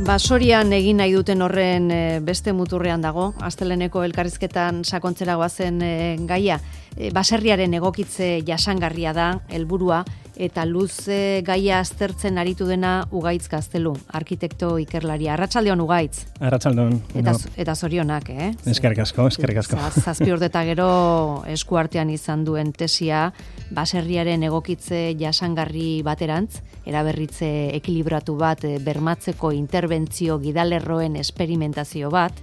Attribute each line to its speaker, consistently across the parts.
Speaker 1: Basorian egin nahi duten horren beste muturrean dago, asteleheneko elkarrizketan sakontzera goazen gaia. Baserriaren egokitze jasangarria da, helburua, eta luze gaia aztertzen aritu dena Ugaitz Gaztelu, arkitekto ikerlaria. Arratsaldeon Ugaitz.
Speaker 2: Arratsaldeon.
Speaker 1: Eta zorionak,
Speaker 2: Eskerrik asko.
Speaker 1: Zazpi urte eta gero eskuartean izan duen tesia, baserriaren egokitze jasangarri baterantz, eraberritze ekilibratu bat bermatzeko interbentzio gidalerroen esperimentazio bat,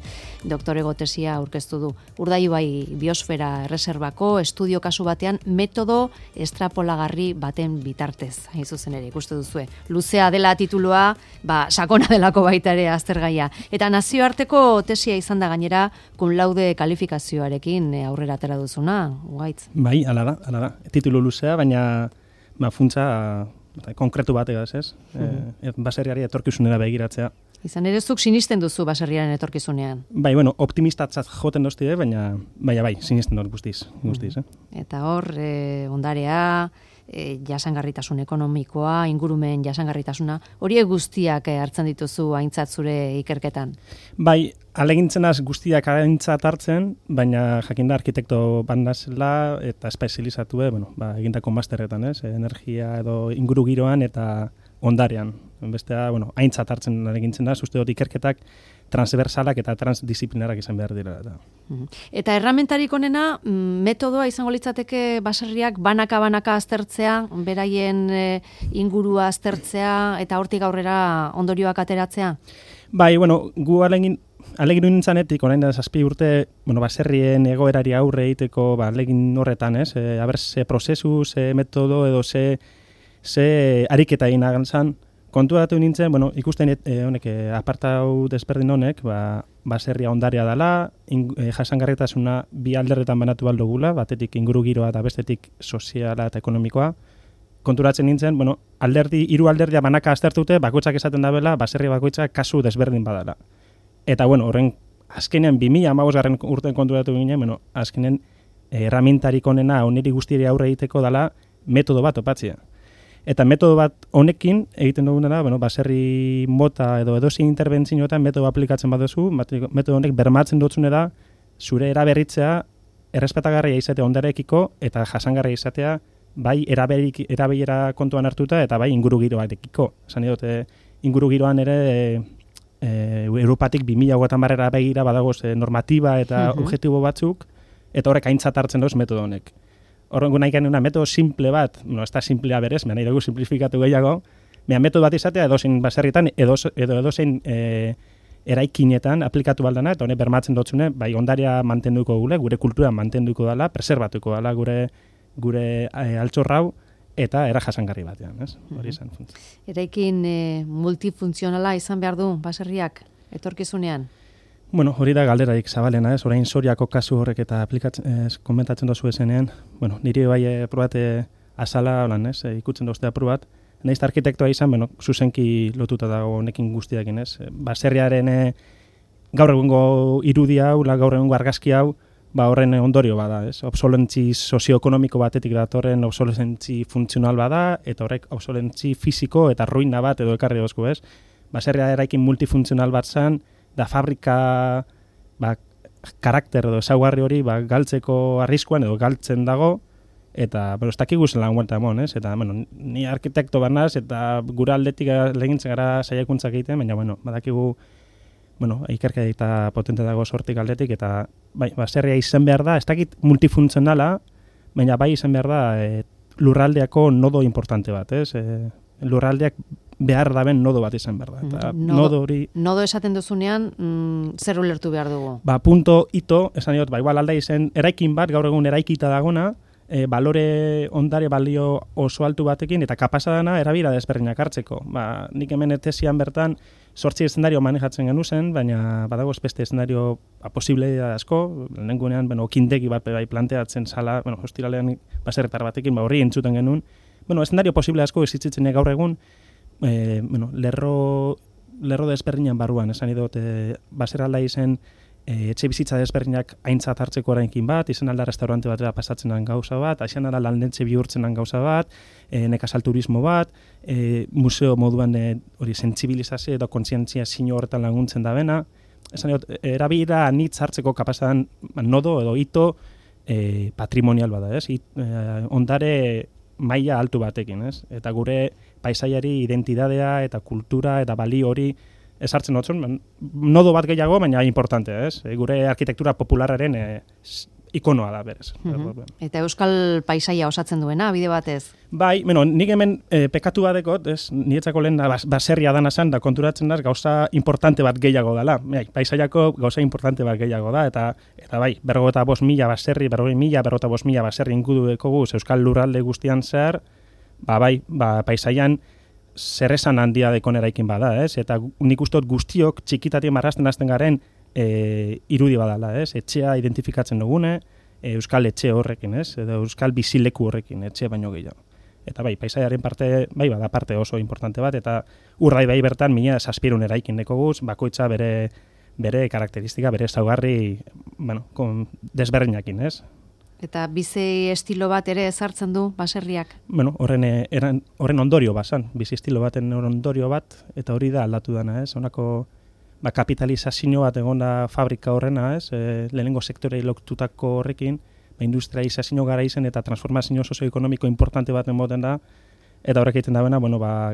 Speaker 1: doktorego tesia aurkeztu du. Urdaibai Biosfera Erreserbako estudio kasu batean metodo estrapolagarri baten bitartez, hain zuzen ere, ikuste duzue. Luzea dela titulua, sakona delako baita ere aztergaia. Eta nazioarteko tesia izan da gainera, cum laude kalifikazioarekin aurrera atera duzuna, Ugaitz.
Speaker 2: Bai, hala da. Titulu luzea, baina funtsa konkretu bategaz, ez? Baserriari etorkizunera begiratzea.
Speaker 1: Izan ere zuk sinisten duzu baserriaren etorkizunean.
Speaker 2: Bai, optimistatzat joten doztide, baina bai, sinisten dut guztiz.
Speaker 1: Eta hor, ondarea, jasangarritasun ekonomikoa, ingurumen jasangarritasuna, horiek guztiak hartzen dituzu aintzat zure ikerketan?
Speaker 2: Bai, alegintzen guztiak aintzat hartzen, baina jakinda arkitekto bandazela eta espezializatu, egindako masterretan, energia edo ingurugiroan eta ondarean. Bestea, aintzat hartzen alegintzen da, uste dut ikerketak transversalak eta transdisiplinarak izan behar dira.
Speaker 1: Eta erramentarik onena, metodoa izango litzateke baserriak banaka aztertzea, beraien ingurua aztertzea eta hortik aurrera ondorioak ateratzea?
Speaker 2: Bai, gu alegin nintzanetik, orain da 7 urte, baserrien egoerari aurre egiteko alegin horretan, ze prozesu, ze metodo edo ze ariketa egin agantzan, kontuatu nintzen, ikusten honek apartau desberdin honek, baserria ondarea dela, jasangarritasuna bi alderretan banatu baldogula, batetik ingurugiroa eta bestetik soziala eta ekonomikoa. Konturatzen nintzen, hiru alderdia banaka aztertute, bakoitzak esaten dabela, baserria bakoitzak kasu desberdin badala. Eta horren azkenean 2015 urten konturatu ginen, azkenean erramintarik onena oniri guztiari aurre egiteko dela metodo bat opatzea. Eta metodo bat honekin egiten duguna da, baserri mota edo edozein interbentzioetan metodo aplikatzen baduzu, metodo honek bermatzen dutzune da zure eraberritzea errespetagarria izatea ondarekiko eta jasangarria izatea bai erabilera kontuan hartuta eta bai ingurugiroarekiko. Esan dute ingurugiroan ere Europatik 2030 begira badagoz normatiba eta objektibo batzuk eta horrek aintzat hartzen duz metodo honek. Horrengo nahi genuen metodo simple bat, ez da simplea berez, nahi dugu simplifikatu gehiago, metodo bat izatea edozein baserritan, edozein eraikinetan aplikatu baldana, eta honek bermatzen dutzune, bai ondarea mantenduko gure kultura mantenduko dela, preserbatuko dela gure altxorrau, eta era jasangarri batean, hori izan.
Speaker 1: Eraikin multifuntzionala izan behar du baserriak etorkizunean?
Speaker 2: Hori da galderarik zabalena, orain Soriako kasu horrek eta komentatzen dozu ezenean, niri bai probate azala, ikutzen doztea probat, nahiz arkitektoa izan, zuzenki lotuta dago honekin guztiakin, baserriaren gaur egungo irudi hau, gaur egungo argazki hau, horren ondorio bada, obsolentzi sozioekonomiko batetik datorren obsolentzi funtzional bada, eta horrek obsolentzi fisiko eta ruina bat edo ekarri dozku, baserria eraikin multifuntzional bat zan, da fabrika karakter edo ezaugarri hori galtzeko arriskuan edo galtzen dago eta ez dakigu zela guelta emon, eta ni arkitekto banaz eta gure aldetik legintzen gara saiakuntzak egiten, baina badakigu ikerketa potente dago sortik aldetik eta baserria izan behar da, ez dakit multifuntzionala, baina bai izan behar da lurraldeako nodo importante bat, lurraldeak behar daben nodo bat izan behar da.
Speaker 1: Nodo esaten duzunean, zer ulertu behar dugu?
Speaker 2: Punto ito, esan diot, igual alda izen, eraikin bat, gaur egun eraikita dagona, balore ondare balio oso altu batekin, eta kapasadana erabira desberdinak hartzeko. Nik hemen etesian bertan, 8 eszenario manejatzen genuzen, baina badago beste eszenario posible asko, lehengunean, okindegi bat planteatzen zala, hostilalean baserretar batekin, horri entzuten genuen. Eszenario posible asko ezitzen gaur egun, lerro desberdinan barruan, esan idot, baserralda izen etxe bizitza desberdinak aintzat hartzeko orainkin bat, izan alda restaurante batera pasatzen den gauza bat, izan alda landetxe bihurtzen den gauza bat, nekazal turismo bat, museo moduan hori sentsibilizazio edo kontzientzia zino horretan laguntzen da bena, esan dut, erabira anitz hartzeko kapazadan nodo edo hito patrimonial bada, ez? Ondare maila altu batekin, ez? Eta gure paisaiari identidadea eta kultura eta bali hori esartzen otzun, nodo bat gehiago, baina importante, ez? Gure arkitektura populararen ikonoa da, berez.
Speaker 1: Eta euskal paisaia osatzen duena, bide batez?
Speaker 2: Bai, nik hemen pekatu badekot, ez? Niretzako lehen baserria dana zen, da konturatzen da gauza importante bat gehiago dela. Paisaiako gauza importante bat gehiago da, eta bai, 45.000 baserri, 45.000 baserri ingudu dekoguz euskal lurralde guztian zer, paisaian zer esan handia dekon eraikin bada, ez? Eta nik ustot guztiok txikitatik marrazten hasten garen irudi badala, ez? Etxea identifikatzen dugune, euskal etxe horrekin, ez? Edo euskal bizileku horrekin, etxe baino gehiago. Eta bai, paisaiaren parte, bada parte oso importante bat, eta Urdaibai bertan 1700 eraikin dekoguz, bakoitza bere karakteristika, bere ezaugarri, desberdinakin, ez?
Speaker 1: Eta bizi estilo bat ere ezartzen du baserriak?
Speaker 2: Horren ondorio basan, bizi estilo baten ondorio bat, eta hori da aldatu dana, ez? Honako kapitalizazio bat egon da fabrika horrena, ez? Lehenengo sektorei lotutako horrekin, industrializazio gara izen eta transformazio sozioekonomiko importante bat emoten da, eta horrek egiten da bena,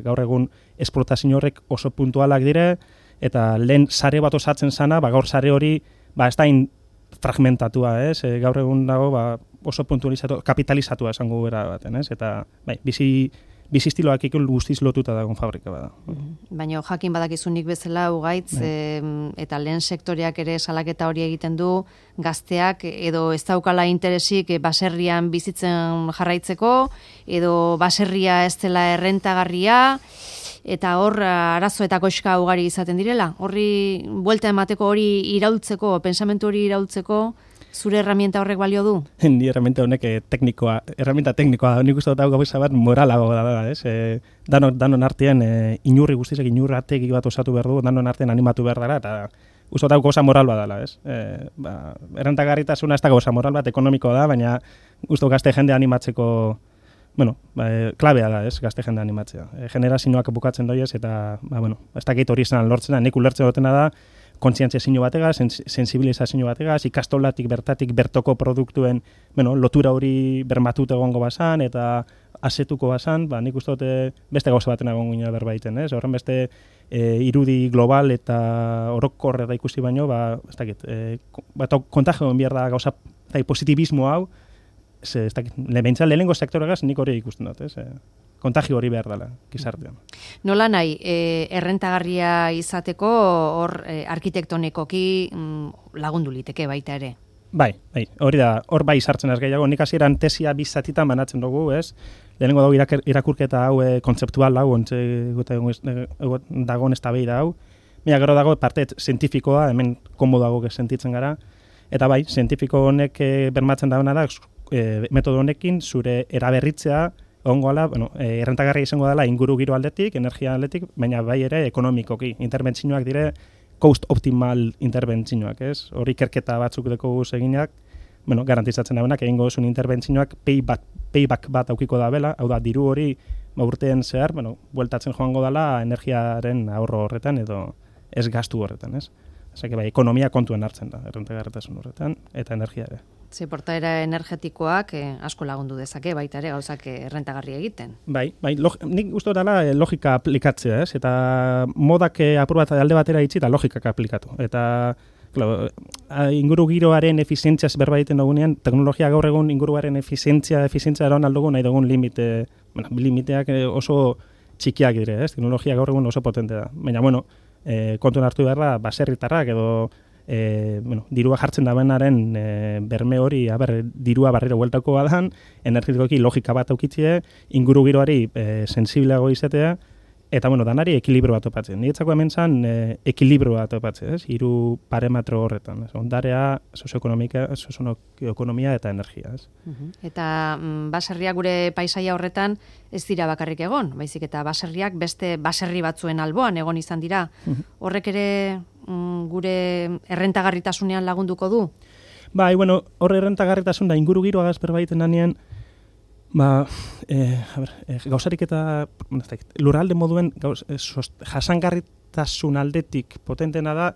Speaker 2: gaur egun esportazio horrek oso puntualak dire, eta lehen sare bat osatzen zana, gaur sare hori, ez da fragmentatua, ez? Gaur egun dago oso puntualizatu, kapitalizatua esango gara baten, ez? Eta bizi estiloak ikul guztiz lotuta dagoen fabrika bada.
Speaker 1: Baina jakin badakizunik bezala ugaitz, eta lehen sektoreak ere salaketa hori egiten du, gazteak edo ez daukala interesik baserrian bizitzen jarraitzeko, edo baserria ez dela errentagarria, eta hor arazo eta koxka ugari izaten direla. Horri buelta emateko hori iraultzeko, pensamentu hori iraultzeko, zure herramienta horrek balio du?
Speaker 2: Ni herramienta honek herramienta teknikoa da. Nik uste dut gauza bat moralago da, ez? Danon artean inurri guztizek inurrategi bat osatu behar du, danon artean animatu behar dara, eta uste dut gauza moral bat dela, ez? Errentagarritasuna ez da gauza moral bat, ekonomikoa da, baina uste gazte jende animatzeko klabea da, ez, gazte jende animatzea. Generazioak bukatzen doiez, eta, ez dakit hori izan lortzen da, nik ulertzen dutena da, kontzientzia batega, sensibilizazio batega, ikastolatik bertatik bertoko produktuen, lotura hori bermatut egongo basan, eta asetuko basan, nik uste dute beste gauza baten egongo gina berbaiten, ez? Horren beste irudi global eta orokor eta ikusi baino, ez dakit, kontagioen behar da gauza, positibismo hau, ez dakit, lehenengo sektoregaz nik hori ikusten dut, ez? Kontagio hori behar dela, gizartean.
Speaker 1: Nola nahi, errentagarria izateko hor arkitektonikoki lagundu liteke baita ere?
Speaker 2: Bai, hori da, hor bai sartzen ez gehiago, nik hasieran tesia bizatitan banatzen dugu, ez? Lehenengo dago irakurketa hau kontzeptual hau, dagoen eztabaida hau, baina gero dago parte zientifikoa, hemen komodago sentitzen gara, eta bai, zientifiko honek bermatzen dagoena da, metodo honekin zure eraberritzea ongoala, errentagarria izango dela inguru giro aldetik, energia aldetik, baina bai ere ekonomikoki. Interbentzioak dire cost optimal interbentzioak, ez? Hori ikerketa batzuk deko guz eginak, garantizatzen daunak, egingo zuen interbentzioak payback bat aukiko da bela, hau da, diru hori urtean zehar, bueltatzen joango dela energiaren ahorro horretan edo ez gastu horretan, ez? Osea, bai, ekonomia kontuen hartzen da, errentagarritasun horretan, eta energia ere.
Speaker 1: Ze portaera energetikoak asko lagundu dezake, baita ere gauzak errentagarri egiten. Bai,
Speaker 2: nik uste dela logika aplikatzea, ez? Eta modak apur bat alde batera itzi eta logikak aplikatu. Eta inguru giroaren efizientziaz berba egiten dugunean, teknologia gaur egun inguruaren efizientzia eron aldugu nahi dugun limiteak oso txikiak dire, ez? Teknologia gaur egun oso potente da. Baina, kontuen hartu behar da, baserritarrak edo dirua jartzen da benaren berme hori, dirua barriro bueltako badan, energetikoki logika bat aukitzie, inguru giroari sensibleago izatea, eta danari ekilibro bat topatzen. Niretzako hemen zan ekilibro bat topatzen, ez? Hiru parametro horretan, ez? Ondarea, sozioekonomia eta energia, ez?
Speaker 1: Eta baserriak gure paisaia horretan ez dira bakarrik egon, baizik eta baserriak beste baserri batzuen alboan egon izan dira. Horrek ere gure errentagarritasunean lagunduko du?
Speaker 2: Bai, bueno, horre errentagarritasun da ingurugiro agazper baiten danean, gauzarik eta lurralde moduen jasangarritasun aldetik potentena da,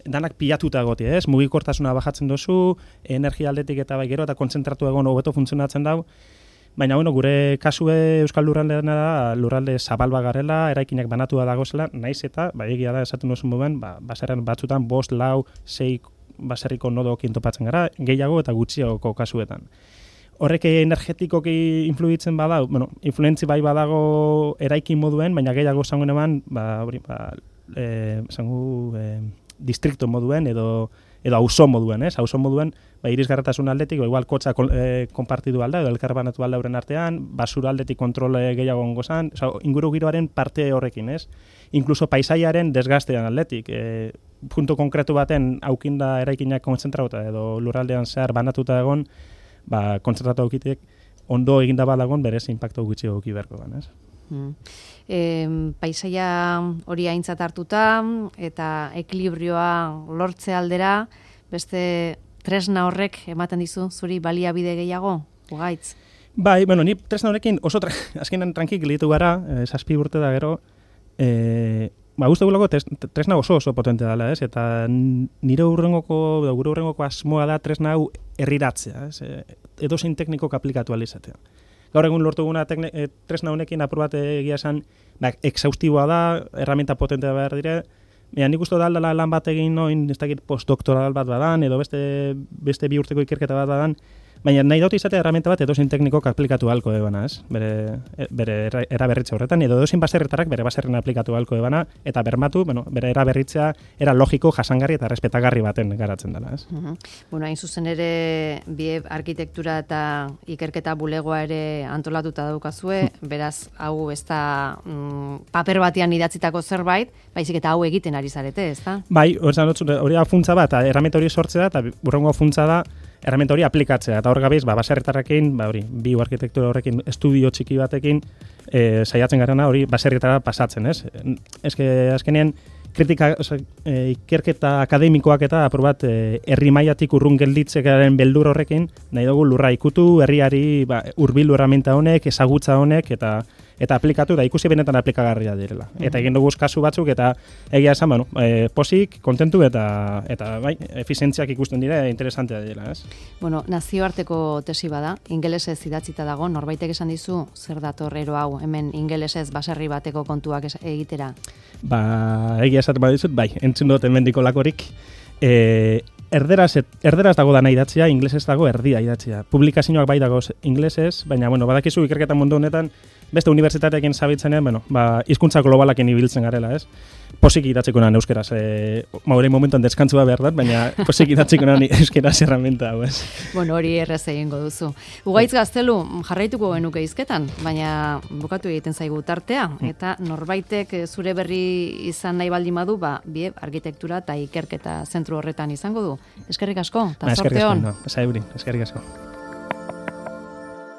Speaker 2: danak pilatuta egotia, ez? Mugikortasuna bajatzen dozu, energia aldetik eta bai gero eta kontzentratu egon hobeto funtzionatzen dau. Baina, bueno, gure kasue Euskal Lurraldean da, lurralde zabal garela, eraikinak banatua dagozela, naiz eta, egia da, esaten duzun momen, baserren batzutan 5, 4, 6 baserriko nodokin topatzen gara, gehiago eta gutxiagoko kasuetan. Horrek energetikoki influitzen badau, bueno, influentzi bai badago eraikin moduen, baina gehiago zangoen eman, distrikto moduen edo auzo moduen, ez? Auzo moduen, irisgarretasun aldetik, igual kotxa konpartidu alda, edo elkarbanatu alda euren artean, basura aldetik kontrole gehiago ongozan, inguru giroaren parte horrekin, ez? Inkluso paisaiaren desgastean aldetik, puntu konkretu baten aukinda eraikinak kontzentrauta edo lurraldean zehar banatuta egon, kontzentratu aukitek ondo eginda badagon berez impacto gutxi auki beharko gan, ez?
Speaker 1: Paisaia hori aintzat hartuta eta ekilibrioa lortze aldera, beste tresna horrek ematen dizu zuri baliabide gehiago, Ugaitz?
Speaker 2: Bai, bueno, ni tresna horrekin oso azkenan trankik gelditu gara, 7 urte da gero, uste gulako tresna oso potente dela, ez? Eta gure urrengoko asmoa da tresna hau herriratzea, ez? Edozein teknikok aplikatu alizatea. Gaur egun lortu guna tresna honekin apur bat egia esan, exhaustiboa da, herramienta potentea behar dire, nik uste da aldala lan bat egin noin, ez dakit postdoktoral bat badan, edo beste 2 urteko ikerketa bat badan, baina nahi dut izatea herramienta bat edozein teknikok aplikatu halko ebana, ez? Bere eraberritza horretan, edo edozein baserretarrak bere baserren aplikatu halko ebana, eta bermatu, bere eraberritzea era logiko, jasangarri eta respetagarri baten garatzen dela, ez?
Speaker 1: Bueno, hain zuzen ere, BIEB arkitektura eta ikerketa bulegoa ere antolatuta daukazue, beraz, hau ez da paper batean idatzitako zerbait, baizik eta hau egiten ari zarete, ez da? Bai,
Speaker 2: hori funtza bat, erramienta hori sortzea, eta burrengo funtza da, erramienta hori aplikatzea, eta hor gabiz, baserritarrekin, bio arkitektura horrekin, estudio txiki batekin, saiatzen garena hori baserrietara pasatzen, ez? Azkenean, ikerketa akademikoak eta apur bat herri mailatik urrun gelditzearen beldur horrekin, nahi dugu lurra ikutu, herriari hurbildu erramienta honek, ezagutza honek, eta aplikatu, da ikusi benetan aplikagarria direla. Eta egin dugu kasu batzuk, eta egia esan, posik, kontentu, eta bai, efizientziak ikusten dira, interesantea dira, ez?
Speaker 1: Bueno, nazioarteko tesi bada, ingelesez idatzita dago, norbaitek esan dizu, zer dator ero hau, hemen ingelesez baserri bateko kontuak egitera?
Speaker 2: Egia esaten badizut, bai, entzun dut hemendiko lakorik, erderaz dago dana idatzia, inglesez dago erdia idatzia. Publikazioak bai dago inglesez, baina, badakizu ikerketa mundu honetan, beste unibertsitateekin zabitzenean, hizkuntza globalakin ibiltzen garela, ez? Posik idatzeko nan euskeraz, hori momentuan deskantzua behar dut, baina posik idatzeko nan euskeraz erramenta hau, ez?
Speaker 1: Bueno, hori errez egingo duzu. Ugaitz Gaztelu, jarraituko genuke hizketan, baina bukatu egiten zaigu tartea, eta norbaitek zure berri izan nahi baldin badu, BIEB arkitektura eta ikerketa zentru horretan izango du. Eskerrik asko, eta zorte hon.
Speaker 2: Eskerrik asko.